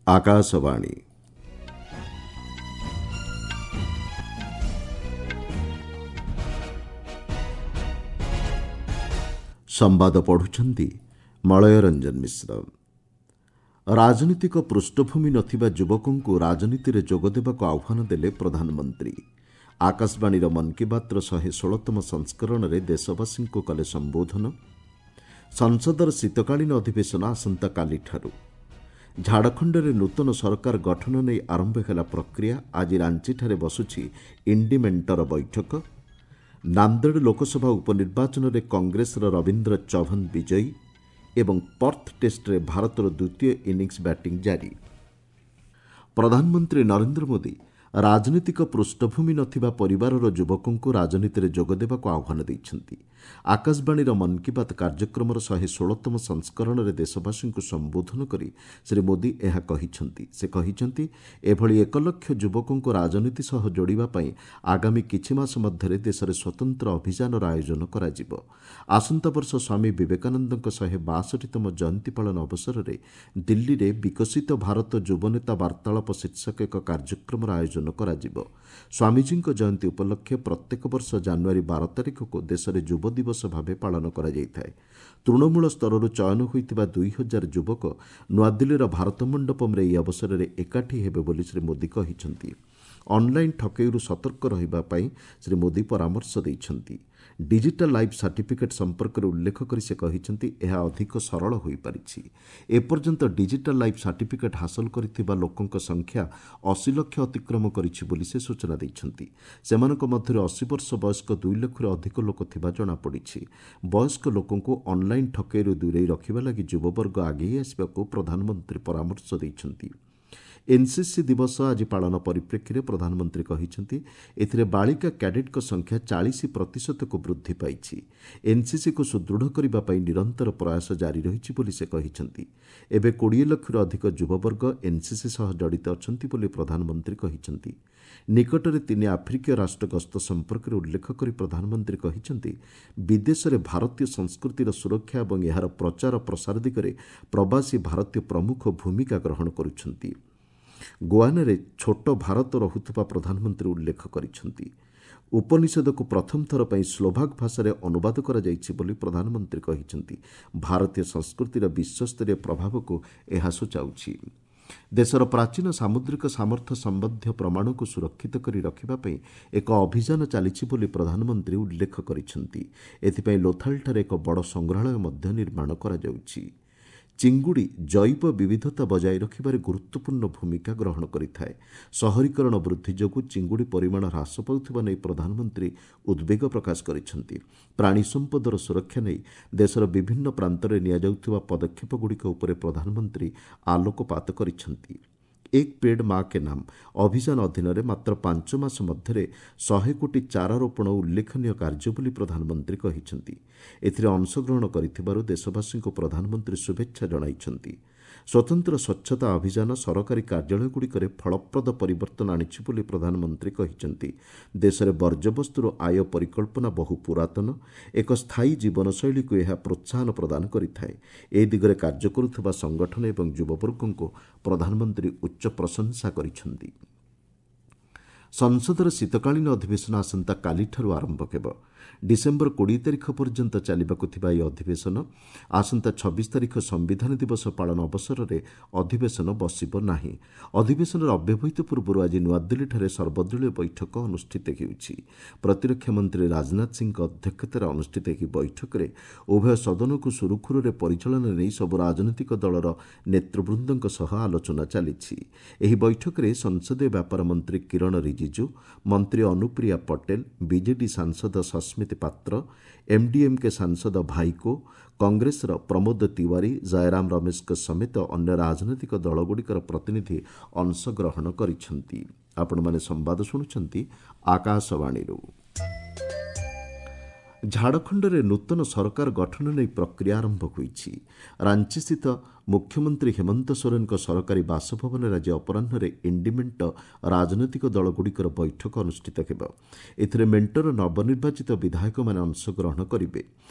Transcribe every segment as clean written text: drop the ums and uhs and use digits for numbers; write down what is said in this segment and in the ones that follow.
ଆକାଶବାଣୀ। ସମ୍ବାଦ ପଢ଼ୁଛନ୍ତି ମଳୟ ରଞ୍ଜନ ମିଶ୍ର। ରାଜନୈତିକ ପୃଷ୍ଠଭୂମି ନଥିବା ଯୁବକଙ୍କୁ ରାଜନୀତିରେ ଯୋଗଦେବାକୁ ଆହ୍ୱାନ ଦେଲେ ପ୍ରଧାନମନ୍ତ୍ରୀ। ଆକାଶବାଣୀର ମନ୍ କି ବାତ୍ର 116ତମ ସଂସ୍କରଣରେ ଦେଶବାସୀଙ୍କୁ କଲେ ସମ୍ବୋଧନ। ସଂସଦର ଶୀତକାଳୀନ ଅଧିବେଶନ ଆସନ୍ତାକାଲିଠାରୁ। ଝାଡ଼ଖଣ୍ଡରେ ନୂତନ ସରକାର ଗଠନ ନେଇ ଆରମ୍ଭ ହେଲା ପ୍ରକ୍ରିୟା। ଆଜି ରାଞ୍ଚିଠାରେ ବସୁଛି ଇଣ୍ଡି ମେଣ୍ଟର ବୈଠକ। ନାନ୍ଦେଡ଼ ଲୋକସଭା ଉପନିର୍ବାଚନରେ କଂଗ୍ରେସର ରବୀନ୍ଦ୍ର ଚଭନ ବିଜୟୀ ଏବଂ ପର୍ଥ ଟେଷ୍ଟରେ ଭାରତର ଦ୍ୱିତୀୟ ଇନିଂସ ବ୍ୟାଟିଂ ଜାରି। ପ୍ରଧାନମନ୍ତ୍ରୀ ନରେନ୍ଦ୍ର ମୋଦି ରାଜନୈତିକ ପୃଷ୍ଠଭୂମି ନଥିବା ପରିବାରର ଯୁବକଙ୍କୁ ରାଜନୀତିରେ ଯୋଗଦେବାକୁ ଆହ୍ୱାନ ଦେଇଛନ୍ତି। ଆକାଶବାଣୀର ମନ୍ କି ବାତ୍ କାର୍ଯ୍ୟକ୍ରମର 116ତମ ସଂସ୍କରଣରେ ଦେଶବାସୀଙ୍କୁ ସମ୍ବୋଧନ କରି ଶ୍ରୀ ମୋଦି ଏହା କହିଛନ୍ତି। ସେ କହିଛନ୍ତି, ଏଭଳି 1 ଲକ୍ଷ ଯୁବକଙ୍କୁ ରାଜନୀତି ସହ ଯୋଡ଼ିବା ପାଇଁ ଆଗାମୀ କିଛି ମାସ ମଧ୍ୟରେ ଦେଶରେ ସ୍ୱତନ୍ତ୍ର ଅଭିଯାନର ଆୟୋଜନ କରାଯିବ। ଆସନ୍ତା ବର୍ଷ ସ୍ୱାମୀ ବିବେକାନନ୍ଦଙ୍କ 162ତମ ଜୟନ୍ତୀ ପାଳନ ଅବସରରେ ଦିଲ୍ଲୀରେ ବିକଶିତ ଭାରତ ଯୁବନେତା ବାର୍ତ୍ତାଳାପ ଶୀର୍ଷକ ଏକ କାର୍ଯ୍ୟକ୍ରମର ଆୟୋଜନ କରାଯିବ। ସ୍ୱାମୀଜୀଙ୍କ ଜୟନ୍ତୀ ଉପଲକ୍ଷେ ପ୍ରତ୍ୟେକ ବର୍ଷ ଜାନୁଆରୀ 12 ତାରିଖକୁ ଦେଶରେ ଯୁବ ଦିବସ ଭାବେ ପାଳନ କରାଯାଇଥାଏ। ତୃଣମୂଳ ସ୍ତରରୁ ଚୟନ ହୋଇଥିବା 2000 ଯୁବକ ନୂଆଦିଲ୍ଲୀର ଭାରତ ମଣ୍ଡପମ୍ରେ ଏହି ଅବସରରେ ଏକାଠି ହେବେ ବୋଲି ଶ୍ରୀ ମୋଦି କହିଛନ୍ତି। ଅନ୍ଲାଇନ୍ ଠକେଇରୁ ସତର୍କ ରହିବା ପାଇଁ ଶ୍ରୀ ମୋଦି ପରାମର୍ଶ ଦେଇଛନ୍ତି। ଡିଜିଟାଲ୍ ଲାଇଫ୍ ସାର୍ଟିଫିକେଟ୍ ସମ୍ପର୍କରେ ଉଲ୍ଲେଖ କରି ସେ କହିଛନ୍ତି, ଏହା ଅଧିକ ସରଳ ହୋଇପାରିଛି। ଏପର୍ଯ୍ୟନ୍ତ ଡିଜିଟାଲ୍ ଲାଇଫ୍ ସାର୍ଟିଫିକେଟ୍ ହାସଲ କରିଥିବା ଲୋକଙ୍କ ସଂଖ୍ୟା 80 ଲକ୍ଷ ଅତିକ୍ରମ କରିଛି ବୋଲି ସେ ସୂଚନା ଦେଇଛନ୍ତି। ସେମାନଙ୍କ ମଧ୍ୟରେ 80 ବର୍ଷ ବୟସ୍କ 2 ଲକ୍ଷରୁ ଅଧିକ ଲୋକ ଥିବା ଜଣାପଡ଼ିଛି। ବୟସ୍କ ଲୋକଙ୍କୁ ଅନ୍ଲାଇନ୍ ଠକେଇରୁ ଦୂରେଇ ରଖିବା ଲାଗି ଯୁବବର୍ଗ ଆଗେଇ ଆସିବାକୁ ପ୍ରଧାନମନ୍ତ୍ରୀ ପରାମର୍ଶ ଦେଇଛନ୍ତି। ଏନ୍ସିସି ଦିବସ ଆଜି ପାଳନ ପରିପ୍ରେକ୍ଷୀରେ ପ୍ରଧାନମନ୍ତ୍ରୀ କହିଛନ୍ତି, ଏଥିରେ ବାଳିକା କ୍ୟାଡେଟ୍ଙ୍କ ସଂଖ୍ୟା 40 ପ୍ରତିଶତକୁ ବୃଦ୍ଧି ପାଇଛି। ଏନ୍ସିସିକୁ ସୁଦୃଢ଼ କରିବା ପାଇଁ ନିରନ୍ତର ପ୍ରୟାସ ଜାରି ରହିଛି ବୋଲି ସେ କହିଛନ୍ତି। ଏବେ 20 ଲକ୍ଷରୁ ଅଧିକ ଯୁବବର୍ଗ ଏନ୍ସିସି ସହ ଜଡ଼ିତ ଅଛନ୍ତି ବୋଲି ପ୍ରଧାନମନ୍ତ୍ରୀ କହିଛନ୍ତି। ନିକଟରେ 3 ଆଫ୍ରିକୀୟ ରାଷ୍ଟ୍ର ଗସ୍ତ ସମ୍ପର୍କରେ ଉଲ୍ଲେଖ କରି ପ୍ରଧାନମନ୍ତ୍ରୀ କହିଛନ୍ତି, ବିଦେଶରେ ଭାରତୀୟ ସଂସ୍କୃତିର ସୁରକ୍ଷା ଏବଂ ଏହାର ପ୍ରଚାର ପ୍ରସାର ଦିଗରେ ପ୍ରବାସୀ ଭାରତୀୟ ପ୍ରମୁଖ ଭୂମିକା ଗ୍ରହଣ କରୁଛନ୍ତି। ଗୋଆନାରେ ଛୋଟ ଭାରତ ରହୁଥିବା ପ୍ରଧାନମନ୍ତ୍ରୀ ଉଲ୍ଲେଖ କରିଛନ୍ତି। ଉପନିଷଦକୁ ପ୍ରଥମ ଥର ପାଇଁ ସ୍ଲୋଭାକ୍ ଭାଷାରେ ଅନୁବାଦ କରାଯାଇଛି ବୋଲି ପ୍ରଧାନମନ୍ତ୍ରୀ କହିଛନ୍ତି। ଭାରତୀୟ ସଂସ୍କୃତିର ବିଶ୍ୱସ୍ତରୀୟ ପ୍ରଭାବକୁ ଏହା ସୂଚାଉଛି। ଦେଶର ପ୍ରାଚୀନ ସାମୁଦ୍ରିକ ସାମର୍ଥ୍ୟ ସମ୍ବନ୍ଧୀୟ ପ୍ରମାଣକୁ ସୁରକ୍ଷିତ କରି ରଖିବା ପାଇଁ ଏକ ଅଭିଯାନ ଚାଲିଛି ବୋଲି ପ୍ରଧାନମନ୍ତ୍ରୀ ଉଲ୍ଲେଖ କରିଛନ୍ତି। ଏଥିପାଇଁ ଲୋଥାଲଠାରେ ଏକ ବଡ଼ ସଂଗ୍ରହାଳୟ ମଧ୍ୟ ନିର୍ମାଣ କରାଯାଉଛି। ଚିଙ୍ଗୁଡ଼ି ଜୈବ ବିବିଧତା ବଜାୟ ରଖିବାରେ ଗୁରୁତ୍ୱପୂର୍ଣ୍ଣ ଭୂମିକା ଗ୍ରହଣ କରିଥାଏ। ସହରୀକରଣ ବୃଦ୍ଧି ଯୋଗୁଁ ଚିଙ୍ଗୁଡ଼ି ପରିମାଣ ହ୍ରାସ ପାଉଥିବା ନେଇ ପ୍ରଧାନମନ୍ତ୍ରୀ ଉଦ୍ବେଗ ପ୍ରକାଶ କରିଛନ୍ତି। ପ୍ରାଣୀ ସମ୍ପଦର ସୁରକ୍ଷା ନେଇ ଦେଶର ବିଭିନ୍ନ ପ୍ରାନ୍ତରେ ନିଆଯାଉଥିବା ପଦକ୍ଷେପଗୁଡ଼ିକ ଉପରେ ପ୍ରଧାନମନ୍ତ୍ରୀ ଆଲୋକପାତ କରିଛନ୍ତି। ଏକ ପେଡ୍ ମା କେ ନାମ ଅଭିଯାନ ଅଧୀନରେ ମାତ୍ର 5 ମାସ ମଧ୍ୟରେ 100 କୋଟି ଚାରା ରୋପଣ ଉଲ୍ଲେଖନୀୟ କାର୍ଯ୍ୟ ବୋଲି ପ୍ରଧାନମନ୍ତ୍ରୀ କହିଛନ୍ତି। ଏଥିରେ ଅଂଶଗ୍ରହଣ କରିଥିବାରୁ ଦେଶବାସୀଙ୍କୁ ପ୍ରଧାନମନ୍ତ୍ରୀ ଶୁଭେଚ୍ଛା ଜଣାଇଛନ୍ତି। ସ୍ୱତନ୍ତ୍ର ସ୍ୱଚ୍ଛତା ଅଭିଯାନ ସରକାରୀ କାର୍ଯ୍ୟାଳୟଗୁଡ଼ିକରେ ଫଳପ୍ରଦ ପରିବର୍ତ୍ତନ ଆଣିଛି ବୋଲି ପ୍ରଧାନମନ୍ତ୍ରୀ କହିଛନ୍ତି। ଦେଶରେ ବର୍ଜ୍ୟବସ୍ତୁରୁ ଆୟ ପରିକଳ୍ପନା ବହୁ ପୁରାତନ। ଏକ ସ୍ଥାୟୀ ଜୀବନଶୈଳୀକୁ ଏହା ପ୍ରୋତ୍ସାହନ ପ୍ରଦାନ କରିଥାଏ। ଏ ଦିଗରେ କାର୍ଯ୍ୟ କରୁଥିବା ସଂଗଠନ ଏବଂ ଯୁବବର୍ଗଙ୍କୁ ପ୍ରଧାନମନ୍ତ୍ରୀ ଉଚ୍ଚ ପ୍ରଶଂସା କରିଛନ୍ତି। ସଂସଦର ଶୀତକାଳୀନ ଅଧିବେଶନ ଆସନ୍ତାକାଲିଠାରୁ ଆରମ୍ଭ ହେବ। ଡିସେମ୍ବର 20 ତାରିଖ ପର୍ଯ୍ୟନ୍ତ ଚାଲିବାକୁ ଥିବା ଏହି ଅଧିବେଶନ ଆସନ୍ତା 26 ତାରିଖ ସମ୍ବିଧାନ ଦିବସ ପାଳନ ଅବସରରେ ଅଧିବେଶନ ବସିବ ନାହିଁ। ଅଧିବେଶନର ଅବ୍ୟବହିତ ପୂର୍ବରୁ ଆଜି ନୂଆଦିଲ୍ଲୀଠାରେ ସର୍ବଦଳୀୟ ବୈଠକ ଅନୁଷ୍ଠିତ ହେଉଛି। ପ୍ରତିରକ୍ଷା ମନ୍ତ୍ରୀ ରାଜନାଥ ସିଂହଙ୍କ ଅଧ୍ୟକ୍ଷତାରେ ଅନୁଷ୍ଠିତ ଏହି ବୈଠକରେ ଉଭୟ ସଦନକୁ ସୁରୁଖୁରୁରେ ପରିଚାଳନା ନେଇ ସବୁ ରାଜନୈତିକ ଦଳର ନେତୃବୃନ୍ଦଙ୍କ ସହ ଆଲୋଚନା ଚାଲିଛି। ଏହି ବୈଠକରେ ସଂସଦୀୟ ବ୍ୟାପାର ମନ୍ତ୍ରୀ କିରଣ ରିଜିଜୁ, ମନ୍ତ୍ରୀ ଅନୁପ୍ରିୟା ପଟେଲ, ବିଜେଡି ସାଂସଦ ସସ୍ମିତ ପାତ୍ର, ଏମ୍ଡିଏମ୍କେ ସାଂସଦ ଭାଇକୋ, କଂଗ୍ରେସର ପ୍ରମୋଦ ତିୱାରୀ, ଜୟରାମ ରମେଶଙ୍କ ସମେତ ଅନ୍ୟ ରାଜନୈତିକ ଦଳଗୁଡ଼ିକର ପ୍ରତିନିଧି ଅଂଶଗ୍ରହଣ କରିଛନ୍ତି। ଆପଣମାନେ ସମ୍ବାଦ ଶୁଣୁଛନ୍ତି ଆକାଶବାଣୀରୁ। ଝାଡ଼ଖଣ୍ଡରେ ନୂତନ ସରକାର ଗଠନ ନେଇ ପ୍ରକ୍ରିୟା ଆରମ୍ଭ ହୋଇଛି। ରାଞ୍ଚିସ୍ଥିତ ମୁଖ୍ୟମନ୍ତ୍ରୀ ହେମନ୍ତ ସୋରେନଙ୍କ ସରକାରୀ ବାସଭବନରେ ଆଜି ଅପରାହ୍ନରେ ଇଣ୍ଡି ମେଣ୍ଟ ରାଜନୈତିକ ଦଳଗୁଡ଼ିକର ବୈଠକ ଅନୁଷ୍ଠିତ ହେବ। ଏଥିରେ ମେଣ୍ଟର ନବନିର୍ବାଚିତ ବିଧାୟକମାନେ ଅଂଶଗ୍ରହଣ କରିବେ।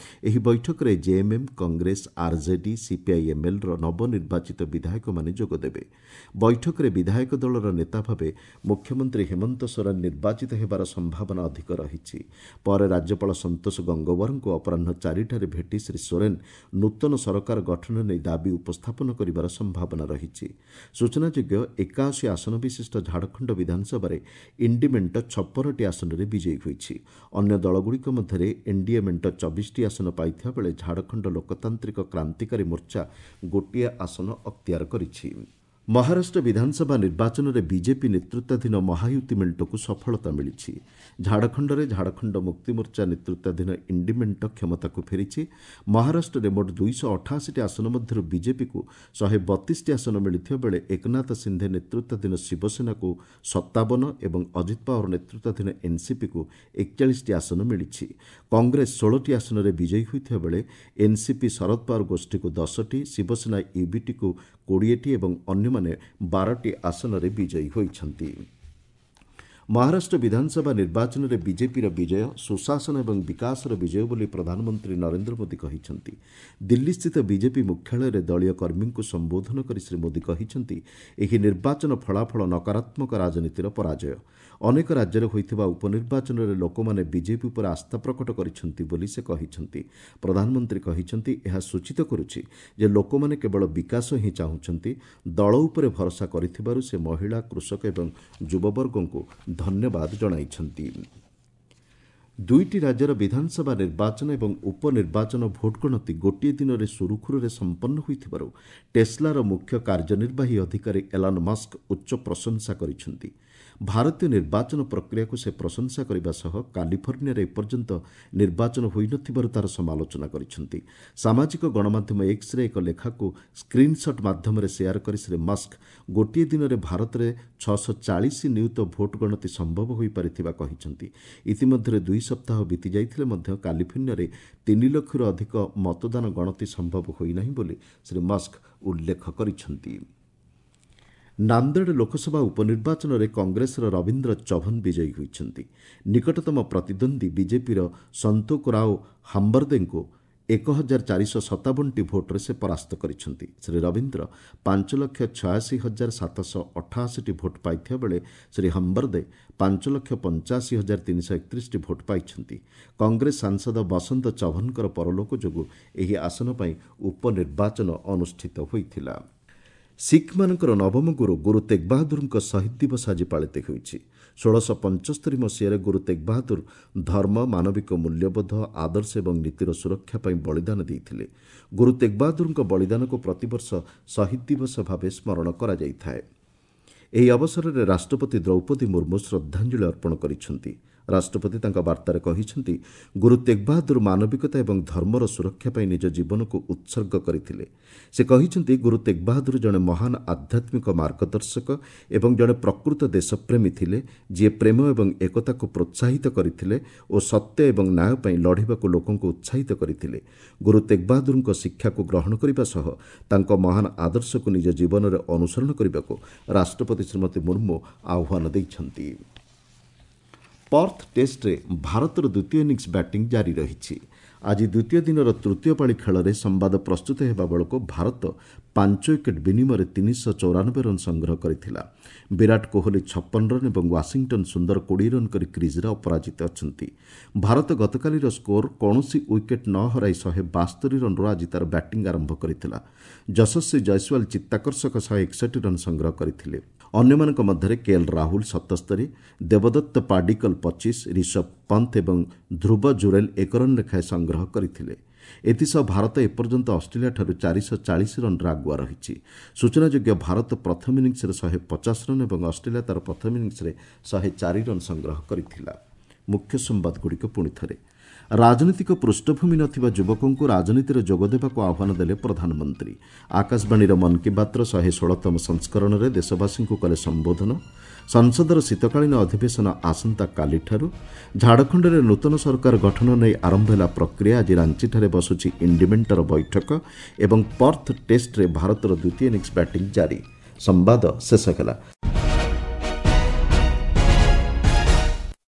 ଏହି ବୈଠକରେ ଜେଏମ୍ଏମ୍, କଂଗ୍ରେସ, ଆର୍ଜେଡି, ସିପିଆଇଏମ୍ଏଲ୍ର ନବନିର୍ବାଚିତ ବିଧାୟକମାନେ ଯୋଗଦେବେ। ବୈଠକରେ ବିଧାୟକ ଦଳର ନେତା ଭାବେ ମୁଖ୍ୟମନ୍ତ୍ରୀ ହେମନ୍ତ ସୋରେନ ନିର୍ବାଚିତ ହେବାର ସମ୍ଭାବନା ଅଧିକ ରହିଛି। ପରେ ରାଜ୍ୟପାଳ ସନ୍ତୋଷ ଗଙ୍ଗୱାରଙ୍କୁ ଅପରାହ୍ନ 4ଟାରେ ଭେଟି ଶ୍ରୀ ସୋରେନ ନୂତନ ସରକାର ଗଠନ ନେଇ ଦାବି ଉପସ୍ଥାପନ କରିବାର ସମ୍ଭାବନା ରହିଛି। ସୂଚନାଯୋଗ୍ୟ, 81 ଆସନ ବିଶିଷ୍ଟ ଝାଡ଼ଖଣ୍ଡ ବିଧାନସଭାରେ ଇଣ୍ଡି ମେଣ୍ଟ 56ଟି ଆସନରେ ବିଜୟୀ ହୋଇଛି। ଅନ୍ୟ ଦଳଗୁଡ଼ିକ ମଧ୍ୟରେ ଏନ୍ଡିଏ ମେଣ୍ଟ 24ଟି ଆସନ ପାଇଥିବା ବେଳେ ଝାଡ଼ଖଣ୍ଡ ଲୋକତାନ୍ତ୍ରିକ କ୍ରାନ୍ତିକାରୀ ମୋର୍ଚ୍ଚା ଗୋଟିଏ ଆସନ ଅକ୍ତିଆର କରିଛି। ମହାରାଷ୍ଟ୍ର ବିଧାନସଭା ନିର୍ବାଚନରେ ବିଜେପି ନେତୃତ୍ୱାଧୀନ ମହାୟୁତି ମେଣ୍ଟକୁ ସଫଳତା ମିଳିଛି। ଝାଡ଼ଖଣ୍ଡରେ ଝାଡ଼ଖଣ୍ଡ ମୁକ୍ତିମୋର୍ଚ୍ଚା ନେତୃତ୍ୱାଧୀନ ଇଣ୍ଡି ମେଣ୍ଟ କ୍ଷମତାକୁ ଫେରିଛି। ମହାରାଷ୍ଟ୍ରରେ ମୋଟ 288ଟି ଆସନ ମଧ୍ୟରୁ ବିଜେପିକୁ 132ଟି ଆସନ ମିଳିଥିବା ବେଳେ ଏକନାଥ ସିନ୍ଧେ ନେତୃତ୍ୱାଧୀନ ଶିବସେନାକୁ 57 ଏବଂ ଅଜିତ ପାୱାର ନେତୃତ୍ୱାଧୀନ ଏନ୍ସିପିକୁ 41ଟି ଆସନ ମିଳିଛି। କଂଗ୍ରେସ 16ଟି ଆସନରେ ବିଜୟୀ ହୋଇଥିବା ବେଳେ ଏନ୍ସିପି ଶରଦ ପାୱାର ଗୋଷ୍ଠୀକୁ 10ଟି, ଶିବସେନା ୟୁବିଟିକୁ 20ଟି ଏବଂ ଅନ୍ୟମାନେ 12ଟି ଆସନରେ ବିଜୟୀ ହୋଇଛନ୍ତି। ମହାରାଷ୍ଟ୍ର ବିଧାନସଭା ନିର୍ବାଚନରେ ବିଜେପିର ବିଜୟ ସୁଶାସନ ଏବଂ ବିକାଶର ବିଜୟ ବୋଲି ପ୍ରଧାନମନ୍ତ୍ରୀ ନରେନ୍ଦ୍ର ମୋଦି କହିଛନ୍ତି। ଦିଲ୍ଲୀସ୍ଥିତ ବିଜେପି ମୁଖ୍ୟାଳୟରେ ଦଳୀୟ କର୍ମୀଙ୍କୁ ସମ୍ବୋଧନ କରି ଶ୍ରୀ ମୋଦି କହିଛନ୍ତି, ଏହି ନିର୍ବାଚନ ଫଳାଫଳ ନକାରାତ୍ମକ ରାଜନୀତିର ପରାଜୟ। ଅନେକ ରାଜ୍ୟରେ ହୋଇଥିବା ଉପନିର୍ବାଚନରେ ଲୋକମାନେ ବିଜେପି ଉପରେ ଆସ୍ଥା ପ୍ରକଟ କରିଛନ୍ତି ବୋଲି ସେ କହିଛନ୍ତି। ପ୍ରଧାନମନ୍ତ୍ରୀ କହିଛନ୍ତି, ଏହା ସୂଚିତ କରୁଛି ଯେ ଲୋକମାନେ କେବଳ ବିକାଶ ହିଁ ଚାହୁଁଛନ୍ତି। ଦଳ ଉପରେ ଭରସା କରିଥିବାରୁ ସେ ମହିଳା, କୃଷକ ଏବଂ ଯୁବବର୍ଗଙ୍କୁ ଧନ୍ୟବାଦ ଜଣାଇଛନ୍ତି। ଦୁଇଟି ରାଜ୍ୟର ବିଧାନସଭା ନିର୍ବାଚନ ଏବଂ ଉପନିର୍ବାଚନ ଭୋଟ ଗଣତି ଗୋଟିଏ ଦିନରେ ସୁରୁଖୁରୁରେ ସମ୍ପନ୍ନ ହୋଇଥିବାରୁ ଟେସ୍ଲାର ମୁଖ୍ୟ କାର୍ଯ୍ୟନିର୍ବାହୀ ଅଧିକାରୀ ଏଲାନ୍ ମସ୍କ ଉଚ୍ଚ ପ୍ରଶଂସା କରିଛନ୍ତି। ଭାରତୀୟ ନିର୍ବାଚନ ପ୍ରକ୍ରିୟାକୁ ସେ ପ୍ରଶଂସା କରିବା ସହ କାଲିଫର୍ଣ୍ଣିଆରେ ଏପର୍ଯ୍ୟନ୍ତ ନିର୍ବାଚନ ହୋଇନଥିବାରୁ ତାର ସମାଲୋଚନା କରିଛନ୍ତି। ସାମାଜିକ ଗଣମାଧ୍ୟମ ଏକ୍ସରେ ଏକ ଲେଖାକୁ ସ୍କ୍ରିନ୍ସଟ୍ ମାଧ୍ୟମରେ ସେୟାର କରି ଶ୍ରୀ ମସ୍କ ଗୋଟିଏ ଦିନରେ ଭାରତରେ 640 ନିୟୁତ ଭୋଟ ଗଣତି ସମ୍ଭବ ହୋଇପାରିଥିବା କହିଛନ୍ତି। ଇତିମଧ୍ୟରେ 2 ସପ୍ତାହ ବିତିଯାଇଥିଲେ ମଧ୍ୟ କାଲିଫର୍ଣ୍ଣିଆରେ 3 ଲକ୍ଷରୁ ଅଧିକ ମତଦାନ ଗଣତି ସମ୍ଭବ ହୋଇନାହିଁ ବୋଲି ଶ୍ରୀ ମସ୍କ ଉଲ୍ଲେଖ କରିଛନ୍ତି। ନାନ୍ଦେଡ଼ ଲୋକସଭା ଉପନିର୍ବାଚନରେ କଂଗ୍ରେସର ରବୀନ୍ଦ୍ର ଚଭନ ବିଜୟୀ ହୋଇଛନ୍ତି। ନିକଟତମ ପ୍ରତିଦ୍ୱନ୍ଦ୍ୱୀ ବିଜେପିର ସନ୍ତୋକ ରାଓ ହାମ୍ବର୍ଦେଙ୍କୁ 1457ଟି ଭୋଟ୍ରେ ସେ ପରାସ୍ତ କରିଛନ୍ତି। ଶ୍ରୀ ରବୀନ୍ଦ୍ର 5,86,788ଟି ଭୋଟ୍ ପାଇଥିବା ବେଳେ ଶ୍ରୀ ହମ୍ବର୍ଦେ 5,85,331ଟି ଭୋଟ୍ ପାଇଛନ୍ତି। କଂଗ୍ରେସ ସାଂସଦ ବସନ୍ତ ଚଭନଙ୍କର ପରଲୋକ ଯୋଗୁଁ ଏହି ଆସନ ପାଇଁ ଉପନିର୍ବାଚନ ଅନୁଷ୍ଠିତ ହୋଇଥିଲା। ଶିଖ୍ମାନଙ୍କର ନବମ ଗୁରୁ ଗୁରୁ ତେଗବାହାଦୁରଙ୍କ ଶହୀଦ ଦିବସ ଆଜି ପାଳିତ ହେଉଛି। 1675 ମସିହାରେ ଗୁରୁ ତେଗବାହାଦୁର ଧର୍ମ, ମାନବିକ ମୂଲ୍ୟବୋଧ, ଆଦର୍ଶ ଏବଂ ନୀତିର ସୁରକ୍ଷା ପାଇଁ ବଳିଦାନ ଦେଇଥିଲେ। ଗୁରୁ ତେଗବାହାଦୁରଙ୍କ ବଳିଦାନକୁ ପ୍ରତିବର୍ଷ ଶହୀଦ ଦିବସ ଭାବେ ସ୍ମରଣ କରାଯାଇଥାଏ। ଏହି ଅବସରରେ ରାଷ୍ଟ୍ରପତି ଦ୍ରୌପଦୀ ମୁର୍ମୁ ଶ୍ରଦ୍ଧାଞ୍ଜଳି ଅର୍ପଣ କରିଛନ୍ତି। ରାଷ୍ଟ୍ରପତି ତାଙ୍କ ବାର୍ତ୍ତାରେ କହିଛନ୍ତି, ଗୁରୁ ତେଗବାହାଦୁର ମାନବିକତା ଏବଂ ଧର୍ମର ସୁରକ୍ଷା ପାଇଁ ନିଜ ଜୀବନକୁ ଉତ୍ସର୍ଗ କରିଥିଲେ। ସେ କହିଛନ୍ତି, ଗୁରୁ ତେଗବାହାଦୁର ଜଣେ ମହାନ ଆଧ୍ୟାତ୍ମିକ ମାର୍ଗଦର୍ଶକ ଏବଂ ଜଣେ ପ୍ରକୃତ ଦେଶପ୍ରେମୀ ଥିଲେ, ଯିଏ ପ୍ରେମ ଏବଂ ଏକତାକୁ ପ୍ରୋତ୍ସାହିତ କରିଥିଲେ ଓ ସତ୍ୟ ଏବଂ ନ୍ୟାୟ ପାଇଁ ଲଢ଼ିବାକୁ ଲୋକଙ୍କୁ ଉତ୍ସାହିତ କରିଥିଲେ। ଗୁରୁ ତେଗବାହାଦୁରଙ୍କ ଶିକ୍ଷାକୁ ଗ୍ରହଣ କରିବା ସହ ତାଙ୍କ ମହାନ ଆଦର୍ଶକୁ ନିଜ ଜୀବନରେ ଅନୁସରଣ କରିବାକୁ ରାଷ୍ଟ୍ରପତି ଶ୍ରୀମତୀ ମୁର୍ମୁ ଆହ୍ୱାନ ଦେଇଛନ୍ତି। ପର୍ଥ ଟେଷ୍ଟରେ ଭାରତର ଦ୍ୱିତୀୟ ଇନିଂସ ବ୍ୟାଟିଂ ଜାରି ରହିଛି। ଆଜି ଦ୍ୱିତୀୟ ଦିନର ତୃତୀୟ ପାଳି ଖେଳରେ ସମ୍ବାଦ ପ୍ରସ୍ତୁତ ହେବା ବେଳକୁ ଭାରତ 5 ୱିକେଟ୍ ବିନିମୟରେ 394 ରନ୍ ସଂଗ୍ରହ କରିଥିଲା। ବିରାଟ କୋହଲି 56 ରନ୍ ଏବଂ ୱାଶିଂଟନ୍ ସୁନ୍ଦର 20 ରନ୍ କରି କ୍ରିଜ୍ରେ ଅପରାଜିତ ଅଛନ୍ତି। ଭାରତ ଗତକାଲିର ସ୍କୋର କୌଣସି ୱିକେଟ୍ ନ ହରାଇ 172 ରନ୍ରୁ ଆଜି ତା'ର ବ୍ୟାଟିଂ ଆରମ୍ଭ କରିଥିଲା। ଯଶସ୍ୱୀ ଜୟସ୍ୱାଲ ଚିତ୍ତାକର୍ଷକ 161 ରନ୍ ସଂଗ୍ରହ କରିଥିଲେ। ଅନ୍ୟମାନଙ୍କ ମଧ୍ୟରେ କେଏଲ୍ ରାହୁଲ 77, ଦେବଦତ୍ତ ପାଡିକଲ 25, ରିଷଭ ପନ୍ଥ ଏବଂ ଧ୍ରୁବ ଜୁରେଲ୍ 1 ରନ୍ ଲେଖାଏଁ ସଂଗ୍ରହ କରିଥିଲେ। ଏଥିସହ ଭାରତ ଏପର୍ଯ୍ୟନ୍ତ ଅଷ୍ଟ୍ରେଲିଆଠାରୁ 440 ରନ୍ରେ ଆଗୁଆ ରହିଛି। ସୂଚନାଯୋଗ୍ୟ, ଭାରତ ପ୍ରଥମ ଇନିଂସରେ 150 ରନ୍ ଏବଂ ଅଷ୍ଟ୍ରେଲିଆ ତା'ର ପ୍ରଥମ ଇନିଂସରେ 104 ରନ୍ ସଂଗ୍ରହ କରିଥିଲା। ମୁଖ୍ୟ ସମ୍ବାଦଗୁଡ଼ିକ ପୁଣି ଥରେ। ରାଜନୈତିକ ପୃଷ୍ଠଭୂମି ନଥିବା ଯୁବକଙ୍କୁ ରାଜନୀତିରେ ଯୋଗଦେବାକୁ ଆହ୍ୱାନ ଦେଲେ ପ୍ରଧାନମନ୍ତ୍ରୀ। ଆକାଶବାଣୀର ମନ୍ କି ବାତ୍ର 116ତମ ସଂସ୍କରଣରେ ଦେଶବାସୀଙ୍କୁ କଲେ ସମ୍ବୋଧନ। ସଂସଦର ଶୀତକାଳୀନ ଅଧିବେଶନ ଆସନ୍ତାକାଲିଠାରୁ। ଝାଡ଼ଖଣ୍ଡରେ ନୂତନ ସରକାର ଗଠନ ନେଇ ଆରମ୍ଭ ହେଲା ପ୍ରକ୍ରିୟା। ଆଜି ରାଞ୍ଚିଠାରେ ବସୁଛି ଇଣ୍ଡିମେଣ୍ଟର ବୈଠକ। ଏବଂ ପର୍ଥ ଟେଷ୍ଟରେ ଭାରତର ଦ୍ୱିତୀୟ ଇନିଂସ ବ୍ୟାଟିଂ ଜାରି। ସମ୍ବାଦ ଶେଷ ହେଲା।